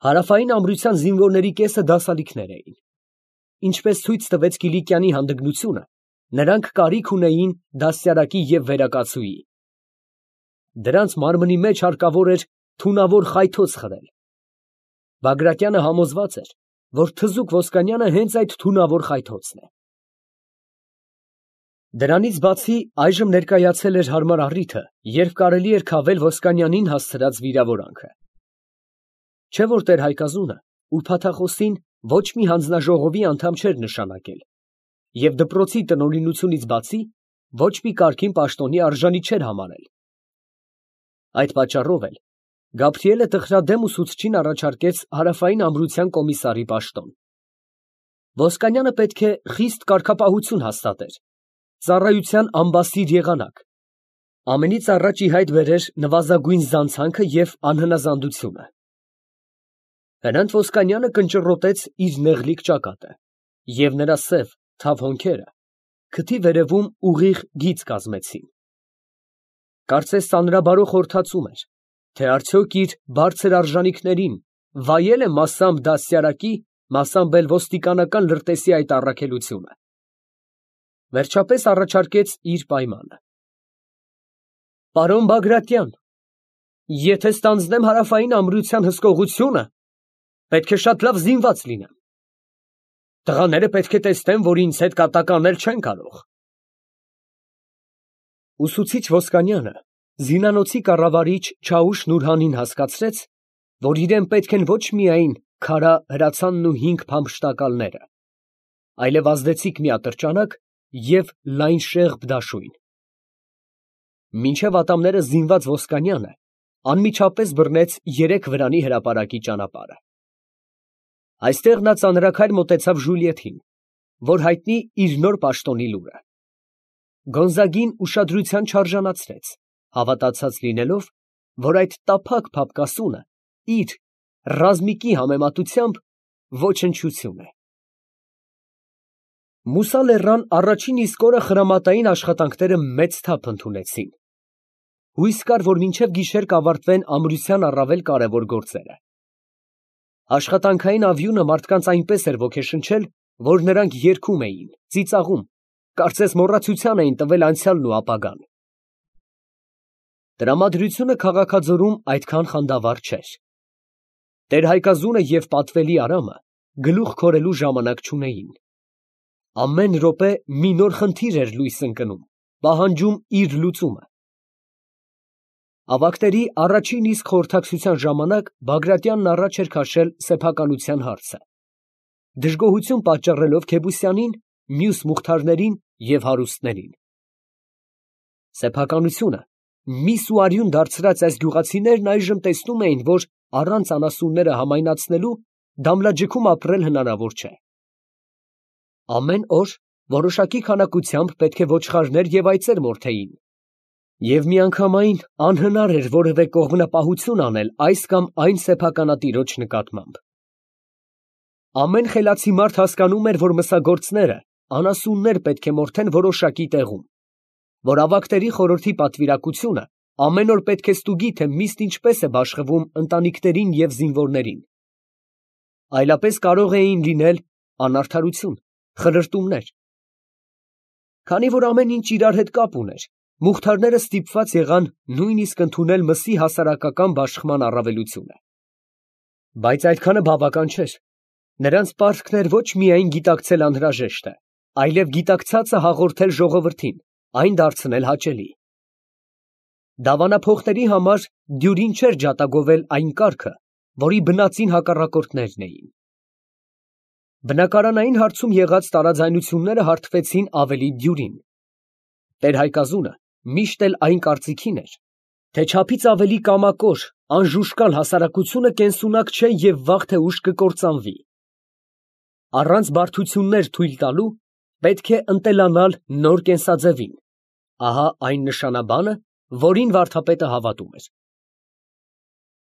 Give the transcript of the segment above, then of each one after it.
Հարավային ամրության զինվորների կեսը դասալիկներ էին։ Ինչպես ցույց տվեց Կիլիկյանի հանդգնությունը, նրանք կարիք ունեին դաստիարակի և վերակացուի։ Դրանց մարմնի մեջ հարկավոր էր թունավոր խայթոց խրել։ Բագրատյանը համոզված էր, որ թզուկ Ոսկանյանը հենց այդ թունավոր խայթոցն է։ Դրանից բացի այժմ ներկայացել էր հարմար առիթը, երբ կարելի էր քավել Ոսկանյանին հասցրած վիրավորանքը։ Չէ՞ որ տեր Հայկազունը ուրբաթախոսին ոչ մի հանձնաժողովի անդամ չէր նշանակել և դպրոցի տնօրինությունից բացի ոչ մի կարգին պաշտոնի արժանի չէր համարել։ Այդ պատճառով էլ Գաբրիելը տխրադեմ ուսուցչին առաջարկեց հարավային ամրության կոմիսարի պաշտոն։ Ոսկանյանը պետք է խիստ կարգապահություն հաստատեր, ծառայության ամբասիր եղանակ, ամենից առաջ ի հայտ բերեր նվազագույն զանցանքը և անհնազանդությունը։ Հրանտ Ոսկանյանը կնճռոտեց իր նեղլիկ ճակատը, և նրա սև, թավ հոնքերը քթի վերևում ուղիղ գիծ կազմեցին։ Կարծես ծանրաբարո խորհրդածում էր, թե արդյոք իր բարձր արժանիքներին վայել է մասամբ դաստիարակի, մասամբ էլ ոստիկանական լրտեսի այդ առաքելությունը։ Վերջապես առաջարկեց իր պայմանը. «Պարոն Բագրատյան, եթե ստանձնեմ հարավային ամրության հսկողությունը, պետք է շատ լավ զինված լինեմ։ Տղաները պետք է տեսնեն, որ ինձ հետ կատակ անել չեն կարող»։ Ուսուցիչ Ոսկանյանը զինանոցի կառավարիչ Չաուշ Նուրհանին հասկացրեց, որ իրան պետք են ոչ միայն քարա հրացանն ու 5 փամփշտակալները, այլև ազդեցիկ մի ատրճանակ և լայն շեղբ դաշույն։ Մինչև ատամները զինված Ոսկանյանը անմիջապես բռնեց 3 վրանի հրապարակի ճանապարհը։ Այստեղ նա ծանրաքայլ մոտեցավ Ժուլիեթին, որ հայտնի իր նոր պաշտոնի լուրը։ Գոնզագին ուշադրության չարժանացրեց, հավատացած լինելով, որ այդ տափակ փափկասունը իր ռազմիկի համեմատությամբ ոչնչություն է։ Մուսա լեռան առաջին իսկ օրը խրամատային աշխատանքները մեծ թափ ընդունեցին։ Հույս կար, որ մինչև գիշեր կավարտվեն ամրության առավել կարևոր գործերը։ Աշխատանքային ավյունը մարդկանց այնպես էր ոգեշնչել, որ նրանք երգում էին, ծիծաղում, կարծես մոռացության էին տվել անցյալն ու ապագան։ Տրամադրությունը քաղաքաձորում այդքան խանդավառ չէր։ Տեր Հայկազունը և պատվելի Արամը գլուխ քորելու ժամանակ չունեին։ Ամեն րոպե մի նոր խնդիր էր լույս ընկնում, պահանջում իր լուծումը։ Ավագների առաջին իսկ խորհրդակցության ժամանակ Բագրատյանն առաջ էր քաշել սեփականության հարցը, դժգոհություն պատճառելով Քեբուսյանին, մյուս մուխթարներին և հարուստներին։ Սեփականությունը միս ու արյուն դարձրած այս գյուղացիներն այժմ տեսնում էին, որ առանց անասունները համայնացնելու Դամլաջիքում ապրել հնարավոր չէ։ Ամեն օր որոշակի քանակությամբ պետք է ոչխարներ և այծեր մորթեին, և միանգամայն անհնար էր որևէ կողմնապահություն անել այս կամ այն սեփականատիրոջ նկատմամբ։ Ամեն խելացի մարդ հասկանում էր, որ մսագործները անասուններ պետք է մորթեն որոշակի տեղում, որ ավագների խորհրդի պատվիրակությունը ամեն օր պետք է ստուգի, թե միստ ինչպես է բաշխվում ընտանիքներին և զինվորներին։ Այլապես կարող էին լինել անարդարություն, խրրտումներ։ Քանի որ ամեն ինչ իրար հետ կապ ուներ, մուխթարները ստիպված եղան նույնիսկ ընդունել մսի հասարակական բաշխման առավելությունը։ Բայց այդքանը բավական չէր։ Նրանց պարտքն էր ոչ միայն գիտակցել անհրաժեշտը, այլև գիտակցածը հաղորդել ժողովրդին, այն դարձնել հաճելի։ Դավանափոխների համար դյուրին չէր ջատագովել այն կարգը, որի բնածին հակառակորդներն էին։ Բնակարանային հարցում եղած տարաձայնությունները հարթվեցին ավելի դյուրին։ Տեր Հայկազունը միշտ էլ այն կարծիքին էր, թե չափից ավելի կամակոր, անժուշկալ հասարակությունը կենսունակ չէ և վաղ թե ուշ կկործանվի։ Առանց բարդություններ թույլ տալու պետք է ընտելանալ նոր կենսաձևին։ Ահա այն նշանաբանը, որին վարդապետը հավատում էր։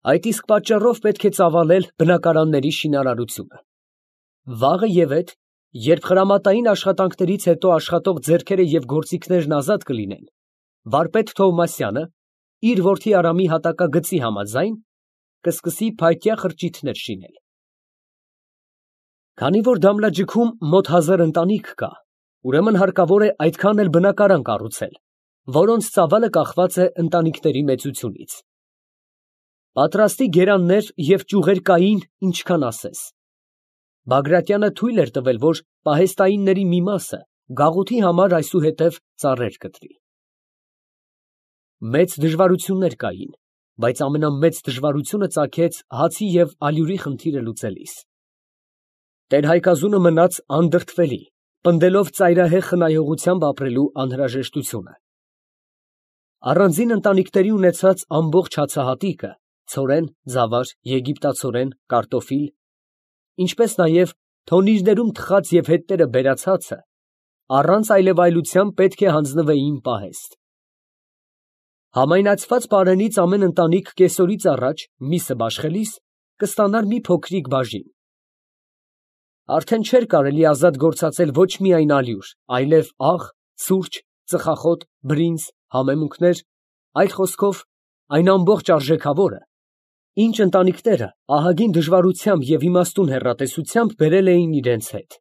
Այդ իսկ պատճառով պետք է ծավալել բնակարանների շինարարությունը։ Վաղը ևեթ, երբ խրամատային աշխատանքներից հետո աշխատող ձեռքերը և գործիքներն ազատ կլինեն, վարպետ Թովմասյանը, իր որդի Արամի հատակագծի համաձայն, կսկսի փայտյա խրճիթներ շինել։ Քանի որ Դամլաջիքում մոտ 1000 ընտանիք կա, ուրեմն հարկավոր է այդքան էլ բնակարան կառուցել, որոնց ծավալը կախված է ընտանիքների մեծությունից։ Պատրաստի գերաններ և ճյուղեր կային, ինչքան ասես։ Բագրատյանը թույլ էր տվել, որ պահեստայինների մի մասը գաղութի համար այսուհետև ծառեր կտրի։ Մեծ դժվարություններ կային, բայց ամենամեծ դժվարությունը ծագեց հացի և ալյուրի խնդիրը լուծելիս։ Տեր-Հայկազունը մնաց անդրդվելի, պնդելով ծայրահեղ խնայողությամբ ապրելու անհրաժեշտությունը։ Առանձին ընտանիքների ունեցած ամբողջ հացահատիկը, ցորեն, ձավար, եգիպտացորեն, կարտոֆիլ, ինչպես նաև թոնիրներում թխած և հետները բերած հացը, առանց այլևայլության պետք է հանձնվեին պահեստ։ Համայնացված պարենից ամեն ընտանիք կեսօրից առաջ, միսը բաշխելիս, կստանար մի փոքրիկ բաժին։ Արդեն չէր կարելի ազատ գործածել ոչ միայն ալյուր, այլև աղ, սուրճ, ծխախոտ, բրինձ, համեմունքներ, այլ խոսքով, այն ամբողջ արժեքավորը, ինչ ընտանիքները ահագին դժվարությամբ և իմաստուն հեռատեսությամբ բերել էին իրենց հետ։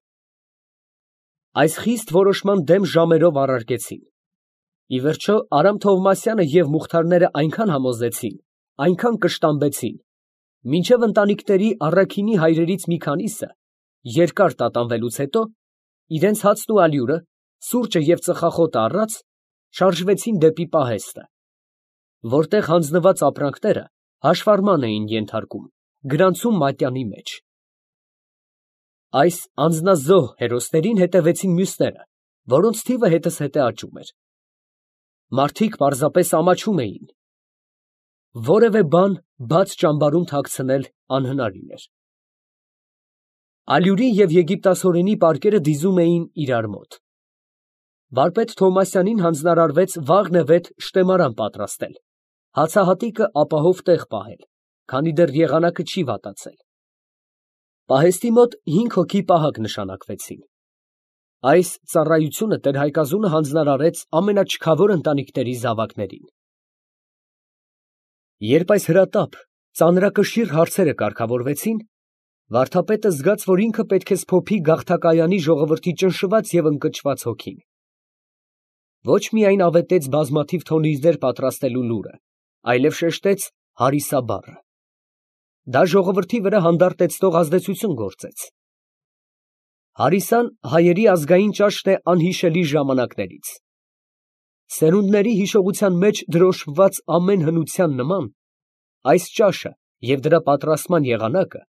Այս խիստ որոշման դեմ ժամերով առարկեցին։ Ի վերջո Արամ Թովմասյանը և Մուխթարները այնքան համոզեցին, այնքան կշտամբեցին, մինչև ընտանիքների առաքինի հայրերից մի քանիսը, երկար տատանվելուց հետո, իրենց հացն ու ալյուրը, սուրճը և ծխախոտը առած, շարժվեցին դեպի պահեստը, որտեղ հանձնված ապրանքները հաշվառման էին ենթարկում, գրանցում մատյանի մեջ։ Այս անձնազոհ հերոսներին հետևեցին մյուսները, որոնց թիվը հետզհետե աճում էր։ Մարդիկ պարզապես ամաչում էին։ Որևէ բան բաց ճամբարում թաքցնել անհնարին էր։ Ալյուրի և եգիպտացորենի պարկերը դիզում էին իրար մոտ։ Վարպետ Թովմասյանին հանձնարարվեց վաղնևեթ շտեմարան պատրաստել, հացահատիկը ապահով տեղ պահել, քանի դեռ եղանակը չի վատացել։ Պահեստի մոտ 5 հոգի պահակ նշանակվեցին։ Այս ծառայությունը Տեր-Հայկազունը հանձնարարեց ամենաչքավոր ընտանիքների զավակներին։ Երբ այս հրատապ, ծանրակշիռ հարցերը կարգավորվեցին, վարդապետը զգաց, որ ինքը պետք է սփոփի գաղթակայանի ժողովրդի ճնշված և ընկճված հոգին։ Ոչ միայն ավետեց բազմաթիվ թոնիրներ պատրաստելու լուրը, այլև շեշտեց «հարիսա» բառը։ Դա ժողովրդի վրա հանդարտեցնող ազդեցություն գործեց։ Հարիսան հայերի ազգային ճաշն է անհիշելի ժամանակներից։ Սերունդների հիշողության մեջ դրոշմված ամեն հնության նման, այս ճաշը և դրա պատրաստման եղանակը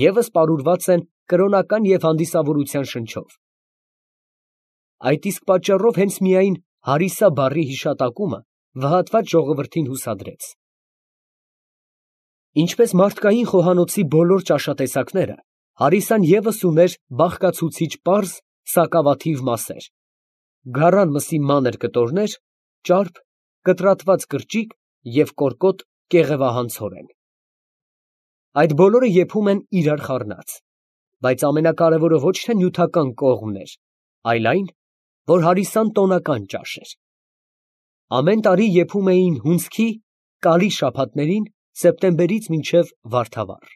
ևս պարուրված են կրոնական և հանդիսավորության շնչով։ Այդ իսկ պատճառով հենց միայն «հարիսա» բառի հիշատակումը վհատված ժողովրդին հուսադրեց։ Ինչպես մարդկային խոհանոցի բոլոր ճաշատեսակները, հարիսան ևս ուներ բաղկացուցիչ պարզ, սակավաթիվ մասեր. գառան մսի մանր կտորներ, ճարպ, կտրատված կրճիկ և կորկոտ կեղևահան ցորեն։ Այդ բոլորը եփում են իրար խառնած, բայց ամենակարևորը ոչ թե նյութական կողմն էր, այլ այն, որ հարիսան տոնական ճաշ էր։ Ամեն տարի եփում էին հունձքի կարի շաբաթներին սեպտեմբերից մինչև վարդավառ։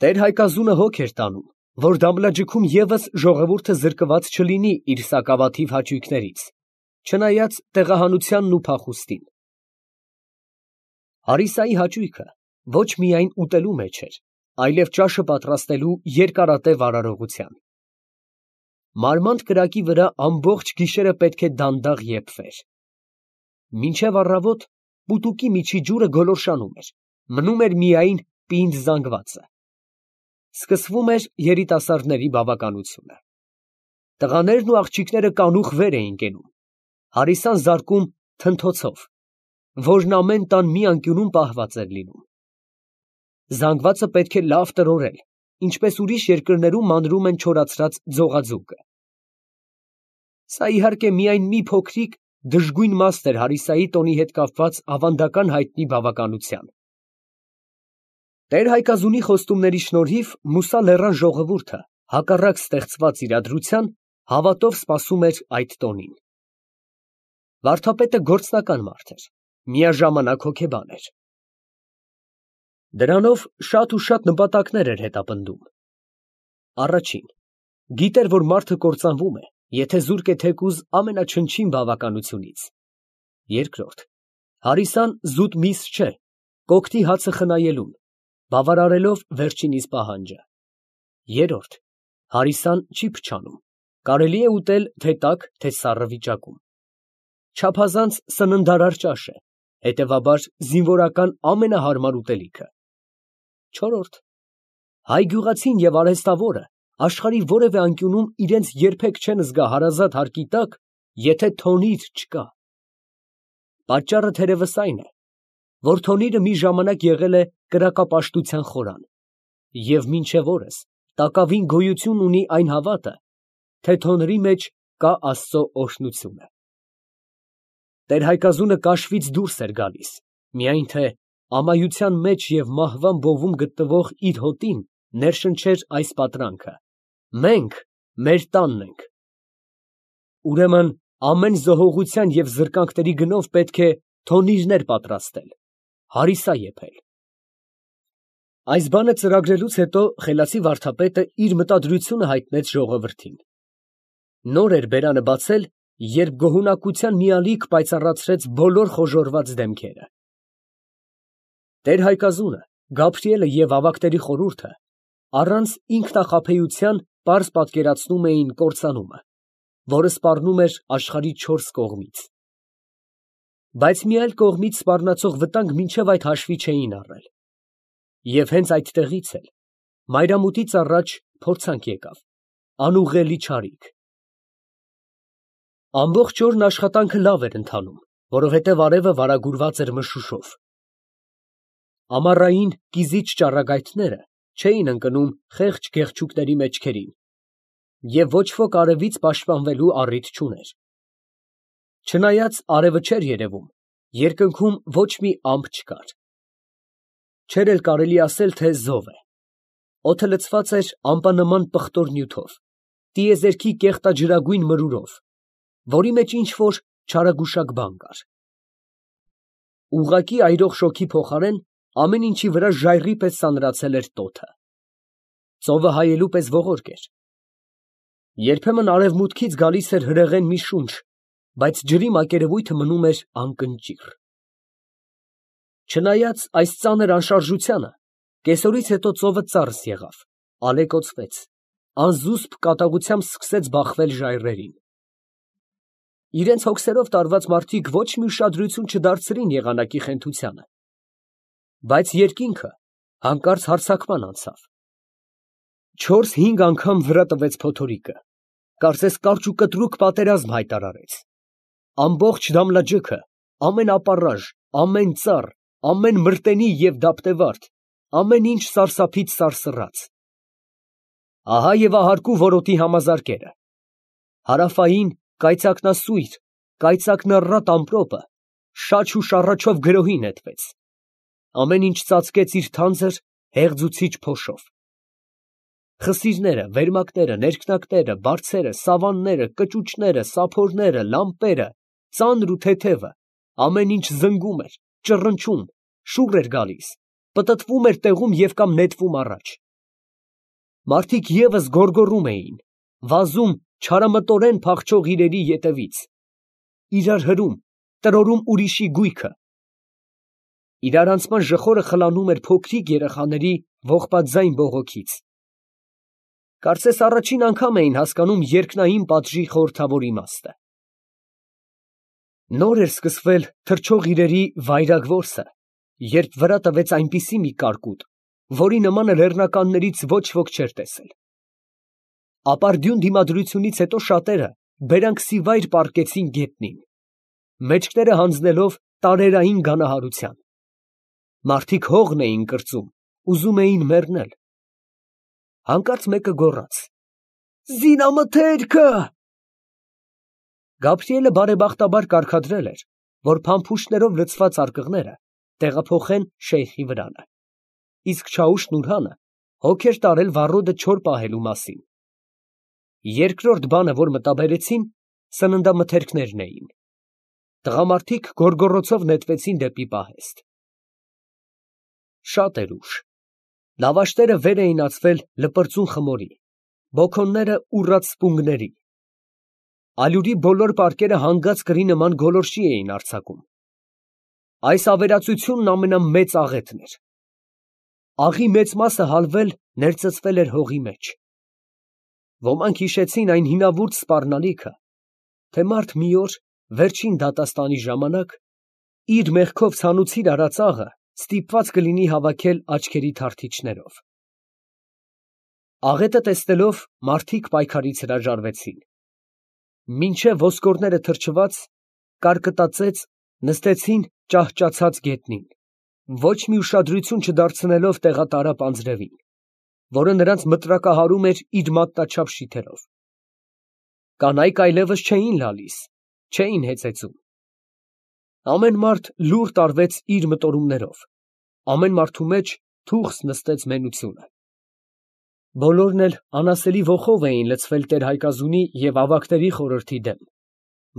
Տեր-Հայկազունը հոգ էր տանում, որ Դամլաջիքում ևս ժողովուրդը զրկված չլինի իր սակավաթիվ հաճույքներից, չնայած տեղահանությանն ու փախուստին։ Հարիսայի հաճույքը ոչ միայն ուտելու մեջ էր, այլև ճաշը պատրաստելու երկարատև արարողության։ Մարմանդ կրակի վրա ամբողջ գիշերը պետք է դանդաղ եփվեր։ Մինչև առավոտ պուտուկի միջի ջուրը գոլորշանում էր, մնում էր միայն պինդ զանգվածը։ Սկսվում էր երիտասարդների բավականությունը։ Տղաներն ու աղջիկները կանուխ վեր էին կենում, հարիսան զարկում թնթոցով, որն ամեն տան մի անկյունում պահված էր լինում։ Զանգվածը պետք է լավ տրորել, ինչպես ուրիշ երկրներում մանրում են չորացրած ձողաձուկը։ Սա իհարկե միայն մի փոքրիկ դժգույն մաս էր հարիսայի տոնի հետ կապված ավանդական հայտնի բավականության։ Տեր-Հայկազունի խոստումների շնորհիվ Մուսա լեռան ժողովուրդը, հակառակ ստեղծված իրադրության, հավատով սպասում էր այդ տոնին։ Վարդապետը գործնական մարդ էր, միաժամանակ հոգեբան էր։ Դրանով շատ ու շատ նպատակներ էր հետապնդում. առաջին, գիտեր, որ մարդը կործանվում է, եթե զուրկ է թեկուզ ամենաչնչին բավականությունից. երկրորդ, հարիսան զուտ միս չէ, կոկտի հացը խնայելուն, բավարարելով վերջինիս պահանջը. երրորդ, հարիսան չի փչանում, կարելի է ուտել թե տաք, թե սառը վիճակում. չափազանց սննդարար ճաշ է, հետևաբար զինվորական ամենահարմար ուտելիքը. չորրորդ, հայ գյուղացին և արհեստավորը աշխարհի որևէ անկյունում իրենց երբեք չեն զգա հարազատ հարկի տակ, եթե թոնիր չկա. պատճառը թերևս այն է, որ թոնիրը մի ժամանակ եղել է կրակապաշտության խորան, և մինչև օրս տակավին գոյություն ունի այն հավատը, թե թոնրի մեջ կա Աստծո օրհնությունը։ Տեր-Հայկազունը կաշվից դուրս էր գալիս, միայն թե ամայության մեջ և մահվան բովում գտնվող իր հոտին ներշնչեր այս պատրանքը. մենք մեր տանն ենք։ Ուրեմն ամեն զոհողության և զրկանքների գնով պետք է թոնիրներ պատրաստել, հարիսա եփել։ Այս բանը ծրագրելուց հետո խելացի վարդապետը իր մտադրությունը հայտնեց ժողովրդին։ Նոր էր բերանը բացել, երբ գոհունակության մի ալիք պայծառացրեց բոլոր խոժոռված դեմքերը։ Տեր-Հայկազունը, Գաբրիելը և ավագների խորհուրդը առանց ինքնախաբեության պարզ պատկերացնում էին կործանումը, որը սպառնում էր աշխարհի չորս կողմից։ Բայց մի այլ կողմից սպառնացող վտանգ մինչև այդ հաշվի չէին առել։ Եվ հենց այդտեղից էլ մայրամուտից առաջ փորձանք եկավ, անուղղելի չարիք։ Ամբողջ օրն աշխատանքը լավ էր ընթանում, որովհետև արևը վարագուրված էր մշուշով։ Ամառային կիզիչ ճառագայթները չէին ընկնում խեղճ գեղչուկների մեջքերին, և ոչ ոք արևից պաշտպանվելու առիթ չուներ։ Չնայած արևը չէր երևում, երկնքում ոչ մի ամպ չկար։ Չէր էլ կարելի ասել, թե զով է։ Օդը լցված էր ամպանման պղտոր նյութով, տիեզերքի կեղտաջրագույն մրուրով, որի մեջ ինչ֊որ չարագուշակ բան կար։ Ուղղակի այրող շոգի փոխարեն ամեն ինչի վրա ժայռի պես սանրացել էր տոթը։ Ծովը հայելու պես ողորկ էր։ Երբեմն արևմուտքից գալիս էր հրեղեն մի շունչ, բայց ջրի մակերևույթը մնում էր անկնճիռ։ Չնայած այս ծանր անշարժությանը, կեսօրից հետո ծովը ծարս եղավ, ալեկոծվեց, անզուսպ կատաղությամբ սկսեց բախվել ժայռերին։ Իրենց հոգսերով տարված մարդիկ ոչ մի ուշադրություն չդարձրին եղանակի խենթությանը, բայց երկինքը հանկարծ հարձակման անցավ։ 4-5 անգամ վրա տվեց փոթորիկը, կարծես կարճ ու կտրուկ պատերազմ հայտարարեց։ Ամբողջ Դամլաջուքը, ամեն ապառաժ, ամեն ծառ, ամեն մրտենի և դափտևարդ, ամեն ինչ սարսափից սարսռաց։ Ահա և ահարկու որոտի համազարկերը։ Հարավային կայծակնասույր, կայծակնառատ ամպրոպը շաչ ու շառաչով գրոհի նետվեց։ Ամեն ինչ ծածկեց իր թանձր, հեղձուցիչ փոշով։ Խսիրները, վերմակները, ներքնակները, բարձերը, սավանները, կճուճները, սափորները, լամպերը, ծանր ու թեթևը, ամեն ինչ զնգում էր, ճռնչում, շուռ էր գալիս, պտտվում էր տեղում և կամ նետվում առաջ։ Մարդիկ ևս գոռգոռում էին, վազում չարամտորեն փախչող իրերի ետևից, իրար հրում, տրորում ուրիշի գույքը։ Իրարանցման ժխորը խլանում էր փոքրիկ երեխաների ողբաթձայն բողոքից։ Կարծես առաջին անգամ էին հասկանում երկնային պատժի խորհրդավոր իմաստը։ Նոր էր սկսվել թռչող իրերի վայրագ որսը, երբ վրա տվեց այնպիսի մի կարկուտ, որի նմանը լեռնականներից ոչ ոք չէր տեսել։ Ապարդյուն դիմադրությունից հետո շատերը բերանքսիվայր պառկեցին գետնին, մեջքները հանձնելով տարերային գանահարության։ Մարդիկ հողն էին կրծում, ուզում էին մեռնել։ Հանկարծ մեկը գոռաց. «Զինամթերքը»։ Գաբրիելը բարեբախտաբար կարգադրել էր, որ փամփուշտներով լցված արկղները տեղափոխեն շեյխի վրանը, իսկ Չաուշ֊Նուրհանը հոգ էր տարել վառոդը չոր պահելու մասին։ Երկրորդ բանը, որ մտաբերեցին, սննդամթերքներն էին։ Տղամարդիկ գոռգոռոցով նետվեցին դեպի պահեստ։ Շատ էր ուշ։ Լավաշտերը վեր էին ածվել լպրծուն խմորի, բոքոնները ուռած սպունգների։ Ալյուրի բոլոր պարկերը հանգած կրի նման գոլորշի էին արձակում։ Այս ավերածությունն ամենամեծ աղետն էր։ Աղի մեծ մասը հալվել ներծծվել էր հողի մեջ։ Ոմանք հիշեցին այն հինավուրց սպառնալիքը, թե մարդ մի օր, վերջին դատաստանի ժամանակ, իր մեղքով ցանուցիր արած աղը ստիպված կլինի հավաքել աչքերի թարթիչներով։ Աղետը տեսնելով մարդիկ պայքարից հրաժարվեցին։ Մինչև ոսկորները թրջված, կարկտածեց, նստեցին ճահճացած գետնին, ոչ մի ուշադրություն չդարձնելով տեղատարապ անձրևին, որը նրանց մտրակահարում էր իր մատնաչափ շիթերով։ Կանայք այլևս չէին լալիս, չէին հեծեծում։ Ամեն մարդ լուռ տարվեց իր մտորումներով, ամեն մարդու մեջ թուխս նստեց մենությունը։ Բոլորն էլ անասելի ոխով էին լցվել տեր֊Հայկազունի և ավագների խորհրդի դեմ,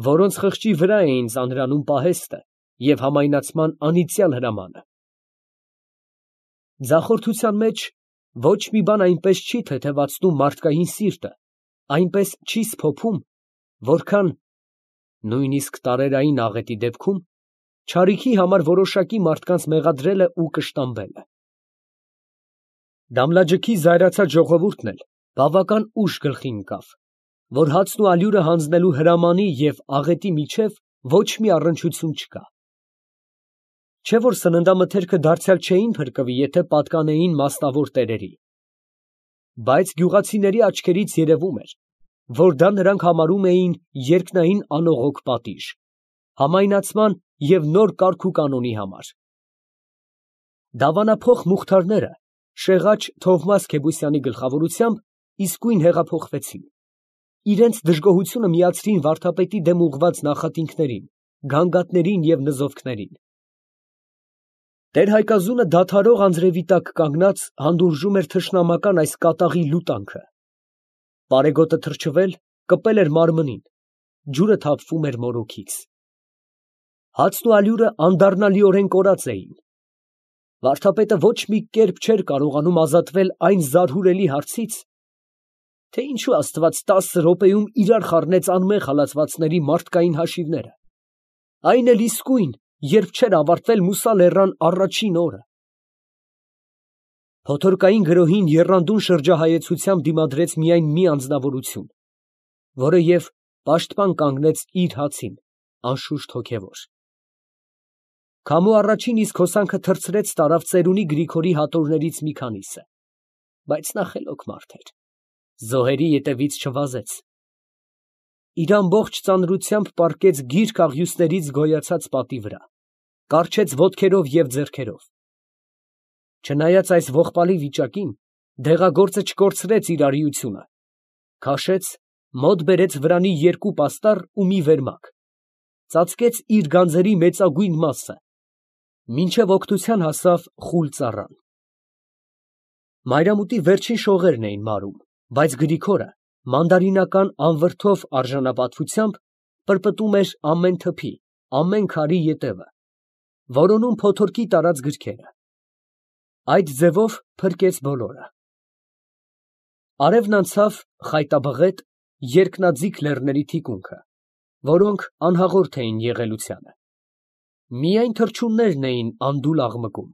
որոնց խղճի վրա էին ծանրանում պահեստը և համայնացման անիծյալ հրամանը։ Ձախորդության մեջ ոչ մի բան այնպես չի թեթևացնում մարդկային սիրտը, այնպես չի սփոփում, որքան (նույնիսկ տարերային աղետի դեպքում) չարիքի համար որոշակի մարդկանց մեղադրելը ու կշտամբելը։ Դամլաջքի զայրացած ժողովուրդն էլ բավական ուշ գլխի ընկավ, որ հացն ու ալյուրը հանձնելու հրամանի և աղետի միջև ոչ մի առնչություն չկա։ Չէ՞ որ սննդամթերքը դարձյալ չէին փրկվի, եթե պատկանեին մասնավոր տերերի։ Բայց գյուղացիների աչքերից երևում էր, որ դա նրանք համարում էին երկնային անողոք պատիժ, համայնացման և նոր կարգուկանոնի համար։ Դավանափոխ մուխթարները շեղաճ Թովմաս Քեբուսյանի գլխավորությամբ իսկույն հեղափոխվեցին, իրենց դժգոհությունը միացրին վարդապետի դեմ ուղղված նախատինքներին, գանգատներին և նզովքներին։ Տեր֊Հայկազունը դադարող անձրևի տակ կանգնած հանդուրժում էր թշնամական այս կատաղի լուտանքը։ Պարեգոտը թրջվել, կպել էր մարմնին, ջուրը թափվում էր մորուքից։ Հացն ու ալյուրը անդառնալիորեն կորած էին։ Վարդապետը ոչ մի կերպ չէր կարողանում ազատվել այն զարհուրելի հարցից, թե ինչու Աստված 10 րոպեում իրար խառնեց անմեղ հալածվածների մարդկային հաշիվները, այն էլ իսկույն, երբ չէր ավարտվել Մուսա լեռան առաջին օրը։ Փոթորկային գրոհին եռանդուն շրջահայեցությամբ դիմադրեց միայն մի անձնավորություն, որը և պաշտպան կանգնեց իր հացին, անշուշտ հոգևոր։ Քամու առաջին իսկ հոսանքը թռցրեց տարավ ծերունի Գրիգորի հատորներից մի քանիսը, բայց նա խելոք մարդ էր, զոհերի ետևից չվազեց։ Իր ամբողջ ծանրությամբ պառկեց գիրք աղյուսներից գոյացած պատի վրա, կառչեց ոտքերով և ձեռքերով։ Չնայած այս ողբալի վիճակին, դեղագործը չկորցրեց իր արիությունը, քաշեց, մոտ բերեց վրանի 2 պաստառ ու մի վերմակ, ծածկեց իր գանձերի մեծագույն մասը, մինչև օգնության հասավ խուլ ծառան։ Մայրամուտի վերջին շողերն էին մարում, բայց Գրիգորը մանդարինական անվրդով արժանապատվությամբ պրպտում էր ամեն թփի, ամեն քարի ետևը, որոնում փոթորկի տարած գրքերը։ Այդ ձևով փրկեց բոլորը։ Արևն անցավ խայտաբղետ, երկնաձիգ լեռների թիկունքը, որոնք անհաղորդ էին եղելությանը։ Միայն թռչուններն էին անդուլ աղմկում։